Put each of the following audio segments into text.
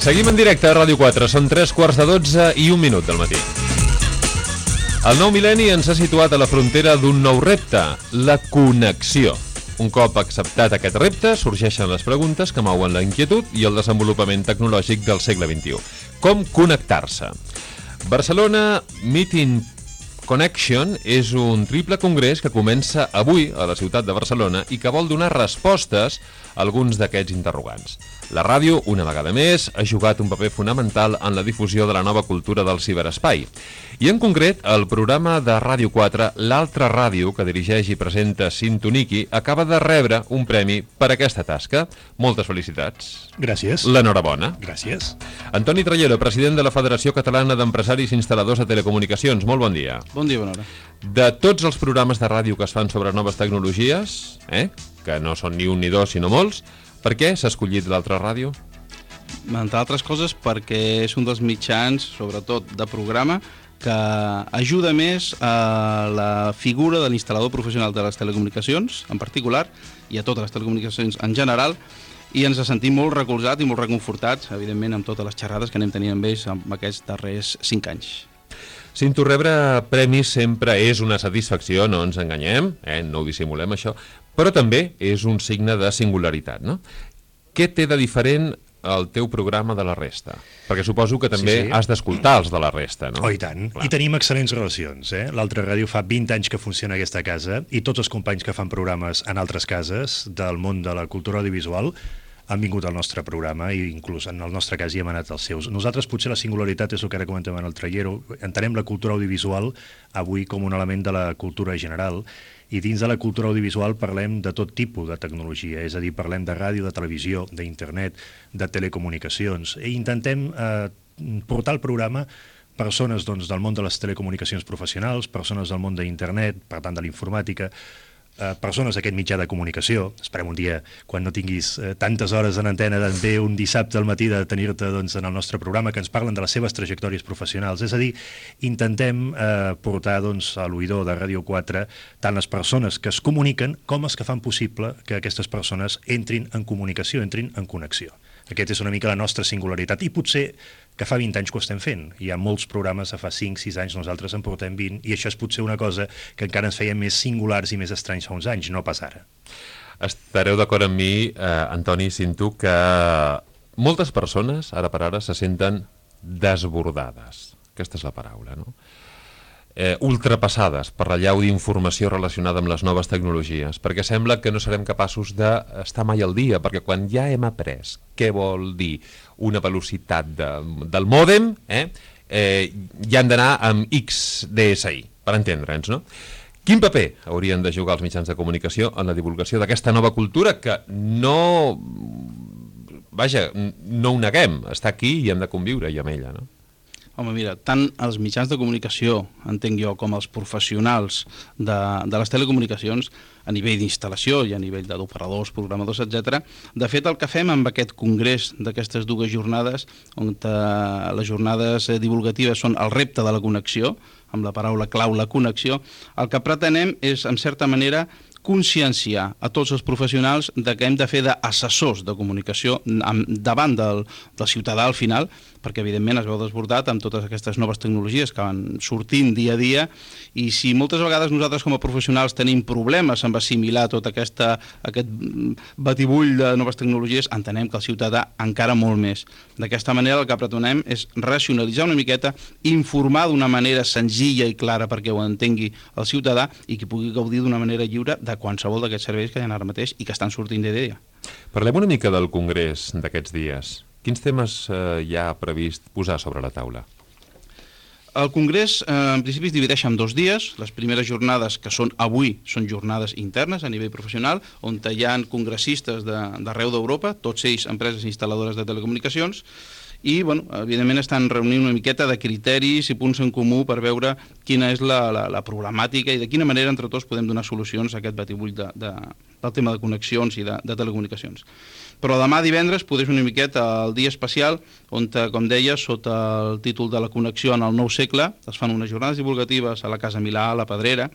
Seguim en directe a Ràdio 4, són 3:15 i 1 minut del matí. El nou mil·lenni ens ha situat a la frontera d'un nou repte, la connexió. Un cop acceptat aquest repte, sorgeixen les preguntes que mouen la inquietud i el desenvolupament tecnològic del segle XXI. Com connectar-se? Barcelona Meeting Connection és un triple congrés que comença avui a la ciutat de Barcelona i que vol donar respostes a alguns d'aquests interrogants. La ràdio, una vegada més, ha jugat un paper fonamental en la difusió de la nova cultura del ciberespai. I en concret, el programa de Ràdio 4, l'altra ràdio que dirigeix i presenta Sintoniki, acaba de rebre un premi per aquesta tasca. Moltes felicitats. Gràcies. L'enhorabona. Gràcies. Antoni Trallero, president de la Federació Catalana d'Empresaris Instal·ladors de Telecomunicacions. Molt bon dia. Bon dia, bona hora. De tots els programes de ràdio que es fan sobre noves tecnologies, que no són ni un ni dos, sinó molts, per què s'ha escollit l'altra ràdio? Entre altres coses perquè és un dels mitjans, sobretot de programa, que ajuda més a la figura de l'instal·lador professional de les telecomunicacions, en particular, i a totes les telecomunicacions en general, i ens sentim molt recolzats i molt reconfortats, evidentment, amb totes les xerrades que anem tenint amb ells en aquests darrers 5 anys. Cinto, rebre premis sempre és una satisfacció, no ens enganyem, no ho dissimulem això, però també és un signe de singularitat, no? Què té de diferent el teu programa de la resta? Perquè suposo que també has d'escoltar els de la resta, no? Oh, i tant. Clar. I tenim excel·lents relacions, L'altra ràdio fa 20 anys que funciona a aquesta casa i tots els companys que fan programes en altres cases del món de la cultura audiovisual han vingut al nostre programa i inclús en el nostre cas hi hem anat als seus. Nosaltres potser la singularitat és el que ara comentem en el Trallero. Entenem la cultura audiovisual avui com un element de la cultura general i dins de la cultura audiovisual parlem de tot tipus de tecnologia, és a dir, parlem de ràdio, de televisió, d'internet, de telecomunicacions i intentem portar al programa persones del món de les telecomunicacions professionals, persones del món d'internet, per tant de l'informàtica, persones d'aquest mitjà de comunicació. Esperem un dia, quan no tinguis tantes hores en antena, també un dissabte al matí de tenir-te en el nostre programa, que ens parlen de les seves trajectòries professionals. És a dir, intentem portar a l'oïdor de Ràdio 4 tant les persones que es comuniquen com els que fan possible que aquestes persones entrin en comunicació, entrin en connexió. Aquesta és una mica la nostra singularitat i potser que fa 20 anys que ho estem fent. Hi ha molts programes, fa 5-6 anys, nosaltres en portem 20, i això és potser una cosa que encara ens feia més singulars i més estranys fa uns anys, no pas ara. Estareu d'acord amb mi, Antoni, Cinto, que moltes persones, ara per ara, se senten desbordades. Aquesta és la paraula, no? Ultrapassades per la llau d'informació relacionada amb les noves tecnologies, perquè sembla que no serem capaços d'estar mai al dia, perquè quan ja hem après què vol dir una velocitat del mòdem, ja hem d'anar amb XDSI, per entendre'ns, no? Quin paper haurien de jugar els mitjans de comunicació en la divulgació d'aquesta nova cultura que no ho neguem, està aquí i hem de conviure amb ella, no? Home, mira, tant els mitjans de comunicació, entenc jo, com els professionals de les telecomunicacions, a nivell d'instal·lació i a nivell d'operadors, programadors, etc. De fet, el que fem amb aquest congrés d'aquestes 2 jornades, on les jornades divulgatives són el repte de la connexió, amb la paraula clau, la connexió, el que pretenem és, en certa manera, conscienciar a tots els professionals de que hem de fer d'assessors de comunicació davant del ciutadà al final, perquè evidentment es veu desbordat amb totes aquestes noves tecnologies que van sortint dia a dia, i si moltes vegades nosaltres com a professionals tenim problemes amb assimilar tot aquest batibull de noves tecnologies, entenem que el ciutadà encara molt més. D'aquesta manera el que pretenem és racionalitzar una miqueta, informar d'una manera senzilla i clara perquè ho entengui el ciutadà i que pugui gaudir d'una manera lliure de qualsevol d'aquests serveis que hi ha ara mateix i que estan sortint dia a dia. Parlem una mica del congrés d'aquests dies. Quins temes hi ha previst posar sobre la taula? El congrés en principi es divideix en 2 dies. Les primeres jornades, que són avui, són jornades internes a nivell professional, on hi ha congressistes d'arreu d'Europa, tots ells empreses instal·ladores de telecomunicacions, i, evidentment, estan reunint una miqueta de criteris i punts en comú per veure quina és la problemàtica i de quina manera entre tots podem donar solucions a aquest batibull del tema de connexions i de telecomunicacions. Però demà divendres podés una miqueta el dia especial on, com deia, sota el títol de la connexió en el nou segle, es fan unes jornades divulgatives a la Casa Milà, a la Pedrera,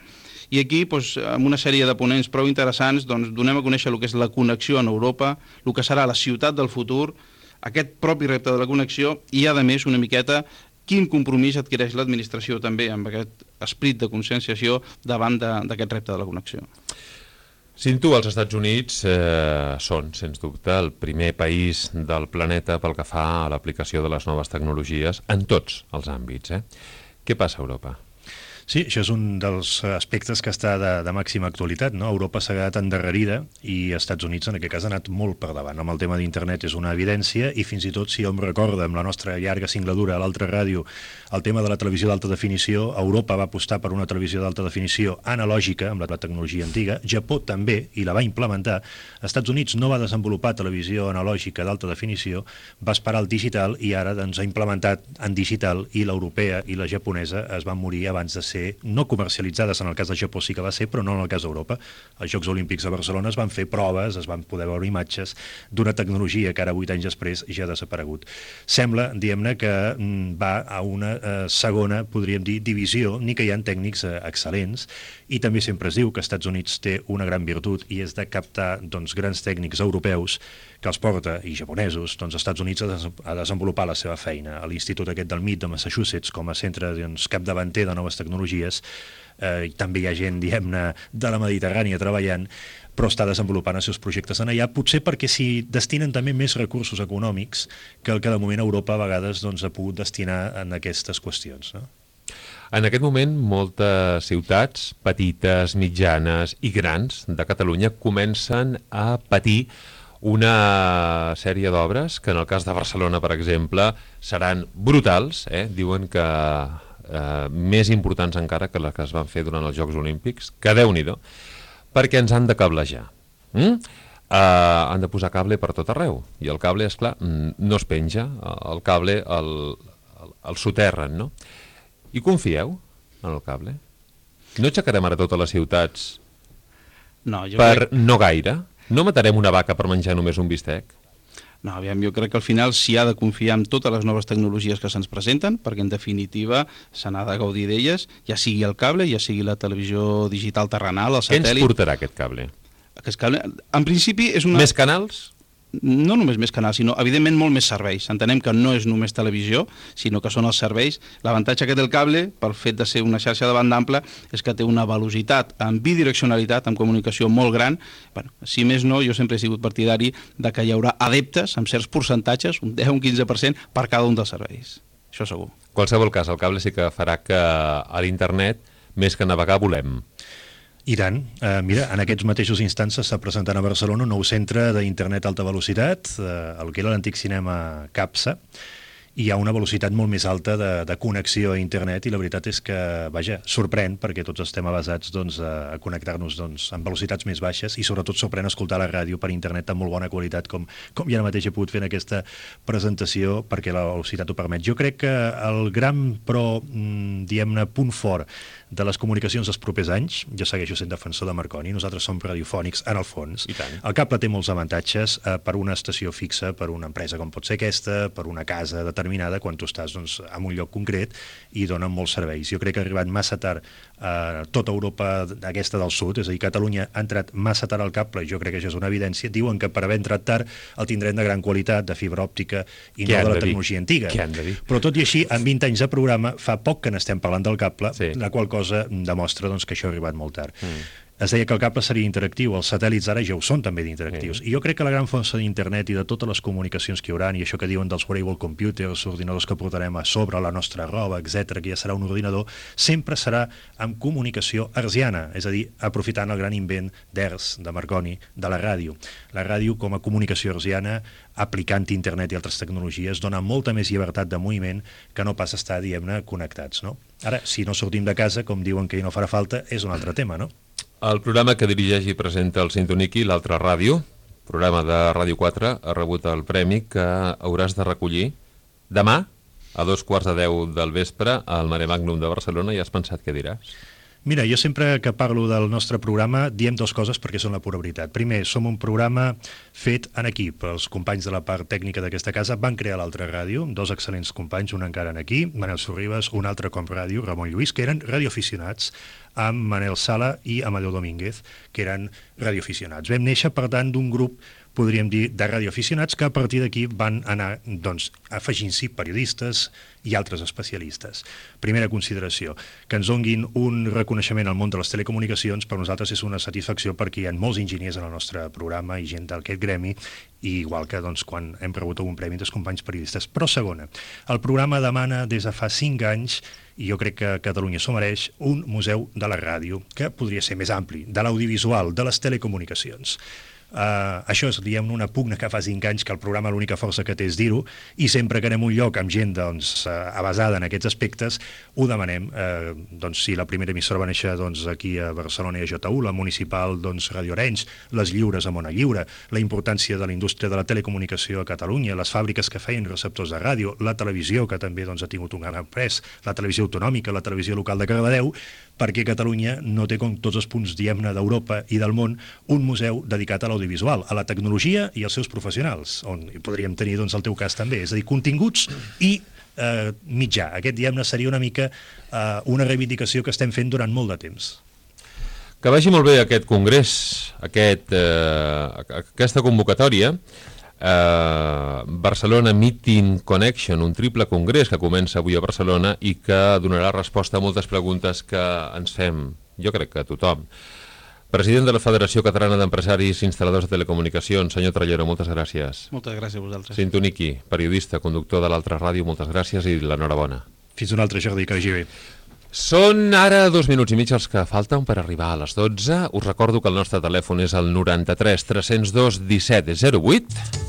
i aquí, amb una sèrie de ponents prou interessants, donem a conèixer el que és la connexió en Europa, el que serà la ciutat del futur, aquest propi repte de la connexió i, a més, una miqueta quin compromís adquireix l'administració també amb aquest esperit de conscienciació davant d'aquest repte de la connexió. Sintu, els Estats Units són, sens dubte, el primer país del planeta pel que fa a l'aplicació de les noves tecnologies en tots els àmbits. Què passa a Europa? Sí, això és un dels aspectes que està de màxima actualitat, no? Europa s'ha quedat endarrerida i els Estats Units en aquest cas ha anat molt per davant. Amb el tema d'internet és una evidència i fins i tot, si hom recorda amb la nostra llarga singladura a l'altra ràdio, el tema de la televisió d'alta definició, Europa va apostar per una televisió d'alta definició analògica amb la tecnologia antiga, Japó també, i la va implementar. Els Estats Units no va desenvolupar televisió analògica d'alta definició, va esperar el digital i ara doncs, ha implementat en digital, i l'europea i la japonesa es van morir abans de ser no comercialitzades. En el cas de Japó sí que va ser, però no en el cas d'Europa. Els Jocs Olímpics a Barcelona es van fer proves, es van poder veure imatges d'una tecnologia que ara 8 anys després ja ha desaparegut. Sembla, diguem-ne, que va a una segona, podríem dir, divisió, ni que hi ha tècnics excel·lents, i també sempre es diu que els Estats Units té una gran virtut i és de captar doncs, grans tècnics europeus que els porta, i japonesos, doncs els Estats Units a desenvolupar la seva feina. A l'Institut aquest del MIT de Massachusetts, com a centre doncs, capdavanter de noves tecnologies, també hi ha gent, diguem-ne, de la Mediterrània treballant, però està desenvolupant els seus projectes en allà, potser perquè s'hi destinen també més recursos econòmics que el que de moment Europa a vegades doncs, ha pogut destinar en aquestes qüestions, no? En aquest moment, moltes ciutats, petites, mitjanes i grans de Catalunya comencen a patir una sèrie d'obres que en el cas de Barcelona, per exemple, seran brutals, diuen que més importants encara que les que es van fer durant els Jocs Olímpics, que Déu-n'hi-do, perquè ens han de cablejar. Han de posar cable per tot arreu, i el cable, esclar, no es penja, el cable el soterren, no? I confieu en el cable? No aixecarem ara totes les ciutats no gaire? No matarem una vaca per menjar només un bistec? No, aviam, jo crec que al final s'hi ha de confiar en totes les noves tecnologies que se'ns presenten, perquè en definitiva se n'ha de gaudir d'elles, ja sigui el cable, ja sigui la televisió digital terrenal, el satèl·lit... Què ens portarà aquest cable? Aquest cable, en principi, és una... Més canals? No només més canals, sinó evidentment molt més serveis. Entenem que no és només televisió, sinó que són els serveis. L'avantatge que té el cable, pel fet de ser una xarxa de banda ampla, és que té una velocitat en bidireccionalitat, amb comunicació molt gran. Bueno, si més no, jo sempre he sigut partidari de que hi haurà adeptes amb certs percentatges, un 10 o un 15%, per cada un dels serveis. Això segur. En qualsevol cas, el cable sí que farà que a l'internet, més que navegar, volem. I tant. Mira, en aquests mateixos instants s'està presentant a Barcelona un nou centre d'internet alta velocitat, el que era l'antic cinema CAPSA, i hi ha una velocitat molt més alta de connexió a internet, i la veritat és que, vaja, sorprèn, perquè tots estem avasats doncs, a connectar-nos doncs, amb velocitats més baixes, i sobretot sorprèn escoltar la ràdio per internet amb molt bona qualitat, com ja ara mateix he pogut fer en aquesta presentació, perquè la velocitat ho permet. Jo crec que el gran, però, diguem-ne, punt fort de les comunicacions dels propers anys, jo segueixo sent defensor de Marconi, nosaltres som radiofònics en el fons. El cable té molts avantatges per una estació fixa, per una empresa com pot ser aquesta, per una casa determinada, quan tu estàs doncs, en un lloc concret, i donen molts serveis. Jo crec que ha arribat massa tard a tota Europa aquesta del sud, és a dir, Catalunya ha entrat massa tard al cable, i jo crec que això és una evidència. Diuen que per haver entrat tard el tindrem de gran qualitat, de fibra òptica, i no de la tecnologia antiga. Però tot i així, en 20 anys de programa, fa poc que n'estem parlant del cable, la qual cosa demostra doncs, que això ha arribat molt tard. Es deia que el cable seria interactiu, els satèl·lits ara ja ho són també d'interactius. I jo crec que la gran força d'internet i de totes les comunicacions que hi haurà, i això que diuen dels wearable computers, ordinadors que portarem a sobre la nostra roba, etc, que ja serà un ordinador, sempre serà amb comunicació hertziana, és a dir, aprofitant el gran invent d'Hertz, de Marconi, de la ràdio. La ràdio com a comunicació hertziana, aplicant internet i altres tecnologies, dona molta més llibertat de moviment que no pas estar, diguem-ne, connectats, no? Ara, si no sortim de casa, com diuen que no farà falta, és un altre tema, no? El programa que dirigeix i presenta el Sintoniqui, l'altra ràdio, programa de Ràdio 4, ha rebut el premi que hauràs de recollir demà a 2:15 del vespre al Mare Magnum de Barcelona, i has pensat què diràs? Mira, jo sempre que parlo del nostre programa diem dues coses perquè són la pura veritat. Primer, som un programa fet en equip. Els companys de la part tècnica d'aquesta casa van crear l'altra ràdio, dos excel·lents companys, un encara aquí, Manel Sorribas, un altre com ràdio, Ramon Lluís, que eren radioaficionats, amb Manel Sala i Amadeu Domínguez, que eren radioaficionats. Vam néixer, per tant, d'un grup podríem dir, de radioaficionats, que a partir d'aquí van anar doncs, afegint-s'hi periodistes i altres especialistes. Primera consideració, que ens donguin un reconeixement al món de les telecomunicacions per nosaltres és una satisfacció perquè hi ha molts enginyers en el nostre programa i gent d'aquest gremi, i igual que doncs, quan hem rebut algun premi dels companys periodistes. Però segona, el programa demana des de fa 5 anys, i jo crec que Catalunya s'ho mereix, un museu de la ràdio, que podria ser més ampli, de l'audiovisual, de les telecomunicacions. Això és, diguem, una pugna que fa 5 anys que el programa l'única força que té és dir-ho, i sempre que anem a un lloc amb gent doncs, avasada en aquests aspectes, ho demanem. Doncs, si la primera emissora va néixer doncs, aquí a Barcelona i a JU, la municipal doncs, Radio Arenys, les lliures a Mona Lliure, la importància de la indústria de la telecomunicació a Catalunya, les fàbriques que feien receptors de ràdio, la televisió, que també doncs, ha tingut un gran pres, la televisió autonòmica, la televisió local de Cardedeu, perquè Catalunya no té, com tots els punts, diguem-ne, d'Europa i del món, un museu dedicat a l'audiovisual, a la tecnologia i als seus professionals, on podríem tenir doncs, el teu cas també, és a dir, continguts i mitjà. Aquest, diguem-ne, seria una mica una reivindicació que estem fent durant molt de temps. Que vagi molt bé aquest congrés, aquesta convocatòria, Barcelona Meeting Connection, un triple congrés que comença avui a Barcelona i que donarà resposta a moltes preguntes que ens fem, jo crec que tothom. President de la Federació Catalana d'Empresaris i Instal·ladors de Telecomunicacions, senyor Trallero, moltes gràcies. Moltes gràcies a vosaltres. Cintoniki, periodista, conductor de l'altra ràdio, moltes gràcies i l'enhorabona. Fins un altre, Jordi, que vagi bé. Són ara 2 minuts i mig els que falten per arribar a les 12. Us recordo que el nostre telèfon és el 93 302 17 08